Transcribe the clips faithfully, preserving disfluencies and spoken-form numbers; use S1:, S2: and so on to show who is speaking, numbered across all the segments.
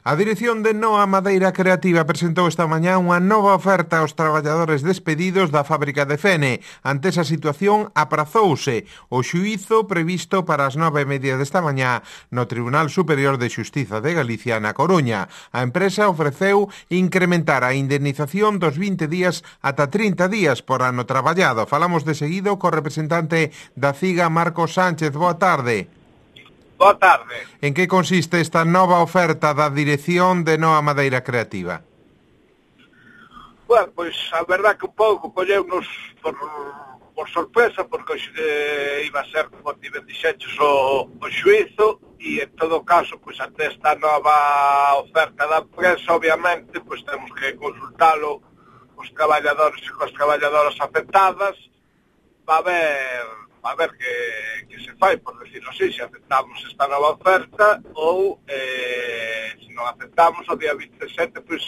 S1: A dirección de Noa Madeira Creativa presentou esta mañá unha nova oferta aos traballadores despedidos da fábrica de Fene. Ante esa situación, aprazouse o xuízo previsto para as nove e media desta mañá no Tribunal Superior de Xustiza de Galicia na Coruña. A empresa ofreceu incrementar a indemnización dos vinte días ata trinta días por ano traballado. Falamos de seguido co representante da CIGA, Marcos Sánchez. Boa tarde.
S2: Boa tarde.
S1: En que consiste esta nova oferta da dirección de Noa Madeira Creativa?
S2: Bueno, pois a verdad que un pouco colleunos por, por sorpresa, porque eh, iba a ser, como ti ben dixeches, o, o xuízo, e en todo caso, pois ante esta nova oferta da empresa, obviamente, pois temos que consultalo os traballadores e cos traballadoras afectadas, va a ver, va a ver que, que se fai, por decirlo así, se aceptamos esta nova oferta ou eh, se non aceptamos o día vinte e sete, pois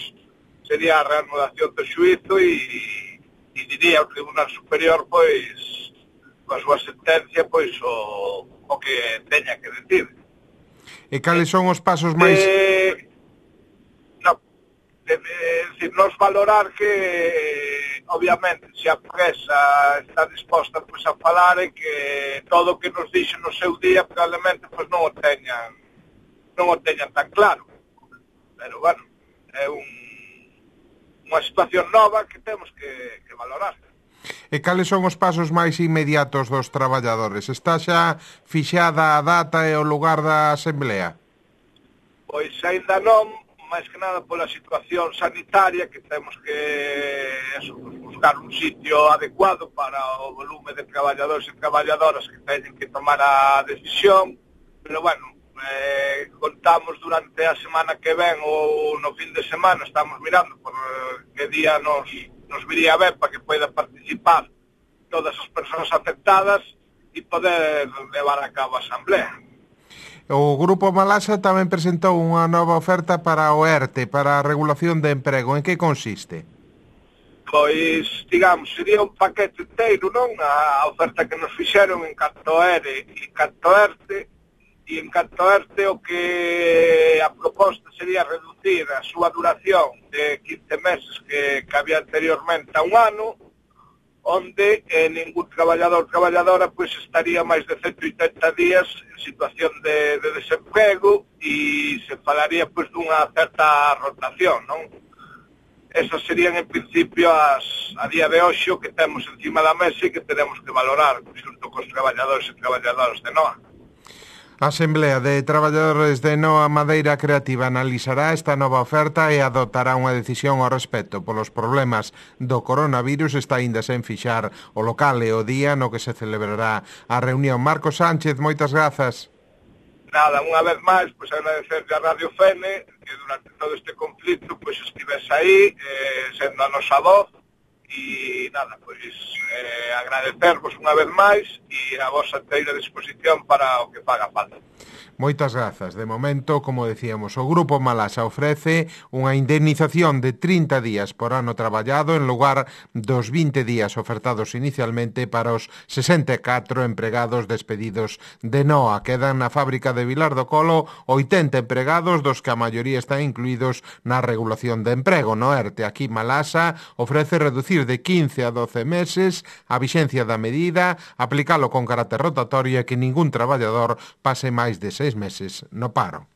S2: sería a reanudación do xuízo e, e diría o Tribunal Superior, pois, coa súa sentencia, pois, o, o que teña que decir.
S1: E cales son os pasos máis...
S2: Eh, no, é dicir, nos valorar que, obviamente, se a empresa está disposta, pois, a falar e que todo o que nos dixo no seu día, probablemente, pois, non o teñan, non o teñan tan claro. Pero, bueno, é un unha situación nova que temos que, que valorar.
S1: E cales son os pasos máis inmediatos dos traballadores? Está xa fixada a data e o lugar da asamblea?
S2: Pois aínda non, máis que nada pola situación sanitaria, que temos que eso, buscar un sitio adecuado para o volume de traballadores e traballadoras que teñen que tomar a decisión, pero bueno, Eh, contamos durante a semana que ven ou no fin de semana, estamos mirando por que día nos, nos viría ben para que poida participar todas as persoas afectadas e poder levar a cabo a asamblea.
S1: O Grupo Malasa tamén presentou unha nova oferta para o ERTE, para a regulación de emprego. En que consiste?
S2: Pois, digamos, sería un paquete inteiro, non? A oferta que nos fixeron en canto ERE e canto ERTE. E en canto a este, o que a proposta sería reducir a súa duración de quince meses que, que había anteriormente a un ano, onde eh, ningún traballador ou traballadora pois estaría máis de ciento oitenta días en situación de, de desemprego e se falaría pois dunha certa rotación, non? Esas serían en principio as, a día de hoxe o que temos encima da mesa e que tenemos que valorar xunto cos traballadores e traballadoras de Noa.
S1: A Asamblea de Traballadores de Noa Madeira Creativa analizará esta nova oferta e adoptará unha decisión ao respecto. Polos problemas do coronavirus está aínda sen fixar o local e o día no que se celebrará a reunión. Marcos Sánchez, moitas grazas.
S2: Nada, unha vez máis, pois agradecerle a Radio Fene que durante todo este conflito pois estivese aí, eh, sendo a nosa voz, e nada, pois eh, agradecervos unha vez máis e a vosa inteira disposición para o que faga falta.
S1: Moitas grazas. De momento, como decíamos, o Grupo Malasa ofrece unha indemnización de trinta días por ano traballado en lugar dos vinte días ofertados inicialmente para os sesenta e catro empregados despedidos de Noa. Quedan na fábrica de Vilar do Colo oitenta empregados, dos que a maioría están incluídos na regulación de emprego. No ERTE, aquí Malasa ofrece reducir de quince a doce meses a vixencia da medida, aplicalo con carácter rotatorio e que ningún traballador pase máis de seis meses no paro.